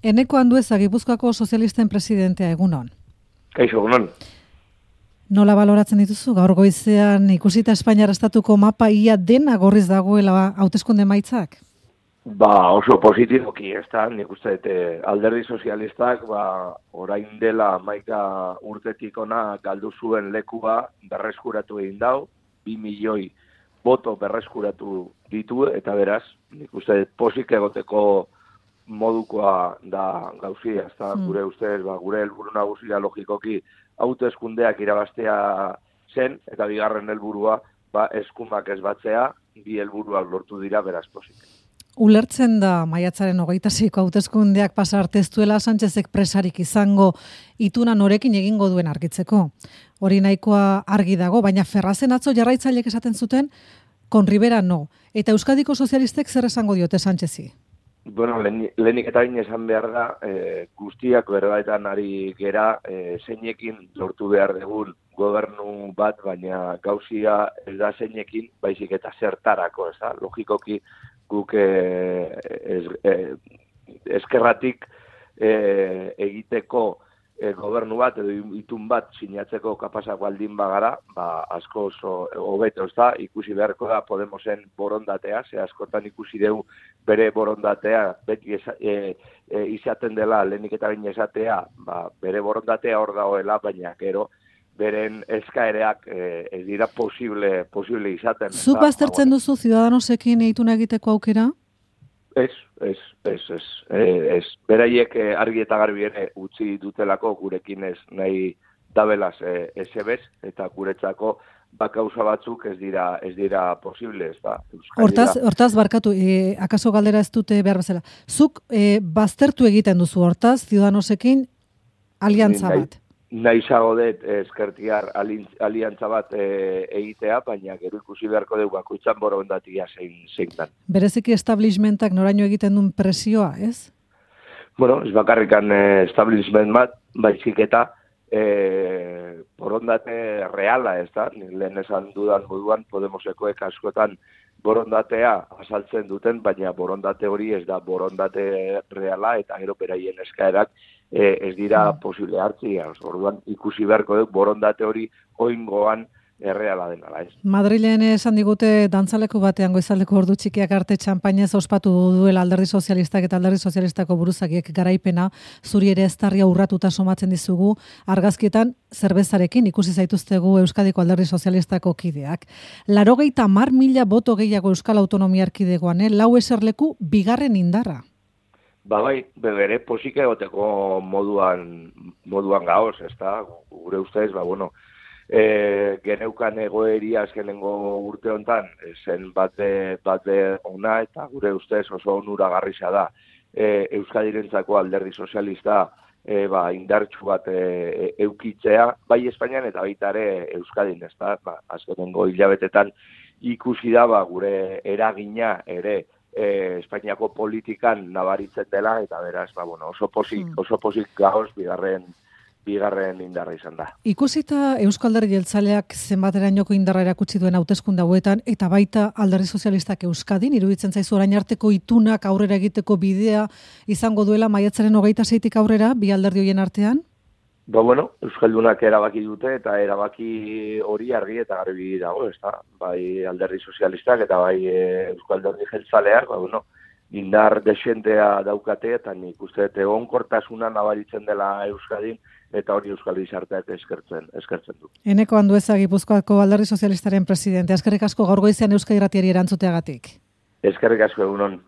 Eneko Andueza, Gipuzkoako sozialisten presidentea, egunon. Kaixo, egunon. Nola baloratzen dituzu? Gaur goizean ikusita Espainiar estatuko mapa ia dena gorriz dagoela hauteskunde emaitzak? Oso positiboki, nik uste alderdi sozialistak orain dela 11 urtetik ona galdu zuen lekua berreskuratu egin dau, 2 milioi boto berreskuratu ditu, eta beraz, nik uste posik egoteko modukoa da gauzia, gure ustez, gure helburu nagusia logikoki hauteskundeak irabaztea zen, eta bigarren helburua eskumak ez batzea, bi helburuak lortu dira beraz posik. Ulertzen da maiatzaren 26ko hauteskundeak pasa arte ez duela Sánchezek presarik izango ituna norekin egingo duen argitzeko. Hori nahikoa argi dago, baina Ferrazen atzo jarraitzaileek esaten zuten, con Rivera no. Eta Euskadiko sozialistek zer esango diote Sánchezi? Bueno, lehenik eta bain esan behar da, guztiak berbaetan ari gera, zeinekin lortu behar dugun gobernu bat, baina gauzia ez da zeinekin, baizik eta zertarako, ez da? Logikoki guk eskerratik egiteko gobernu bat edo itun bat sinatzeko kapazak baldin bagara, asko hobeto, ez da, ikusi beharko da Podemosen borondatea, ze askotan ikusi dugu bere borondatea, beti izaten dela, lehenik eta bain esatea, bere borondatea hor dagoela, baina gero, beren eskaereak ez dira posible izaten. Zuk baztertzen duzu Ciudadanosekin eituna egiteko aukera? Ez. Beraiek argi eta garbi ere utzi dutelako gurekin ez nahi dabelaz ezebez, eta guretzako gauza batzuk ez dira posible, ez da. Hortaz barkatu, akaso galdera ez dute behar bezala. Zuk baztertu egiten duzu hortaz Ciudadanosekin aliantza bat? Nahizago dut eskertiar aliantza bat egitea, baina gero ikusi beharko dugu bakoitzan borondatia zein dan. Bereziki establishmentak noraino egiten duen presioa, ez? Bueno, ez bakarrikan establishment bat, baizik eta borondate reala, ez da? Lehen esan dudan moduan, Podemosekoek askotan borondatea azaltzen duten, baina borondate hori ez da borondate reala, eta gero beraien eskaerak ez dira posible hartzia. Orduan ikusi beharko dut borondate hori oingoan erreala denala, ez. Madrilen esan digute dantzaleku batean goizaldeko ordu txikiak arte txampainez ospatu duela alderdi sozialistak eta alderdi sozialistako buruzagiek garaipena, zuri ere eztarria urratuta somatzen dizugu, argazkietan zerbezarekin ikusi zaituztegu Euskadiko alderdi sozialistako kideak. 80.000 boto gehiago Euskal Autonomia Erkidegoan, lau eserleku bigarren indarra. Bere posik egoteko moduan gaoz, ez da, gure ustez, geneukan egoeria azkenengo urte hontan, zen bat ona, eta gure ustez oso onuragarria da. Euskadirentzako alderdi sozialista indartsu bat eukitzea, bai Espainian eta baita ere Euskadin, ez da, azkenengo hilabetetan ikusi da gure eragina ere Espainiako politikan nabaritzen dela, eta beraz, oso posik gauz bigarren indarra izan da. Ikusita Eusko Alderdi Jeltzaleak zenbaterainoko indarra erakutsi duen hauteskunde hauetan, eta baita alderdi sozialistak Euskadin, iruditzen zaizu orain arteko itunak aurrera egiteko bidea izango duela maiatzaren 26tik aurrera, bi alderdi horien artean? Euskaldunak erabaki dute, eta erabaki hori argi eta garbi dago, ez da? Bai alderdi sozialistak eta bai Euskal Alderdi Jeltzaleak, indar desentea daukate, eta nik uste egonkortasuna nabaritzen dela Euskadin, eta hori Euskal Gizarteak eskertzen du. Eneko Andueza, Gipuzkoako alderdi sozialistaren presidente, eskerrik asko gaur goizean Euskadi Irratiari erantzuteagatik. Eskerrik asko, egunon.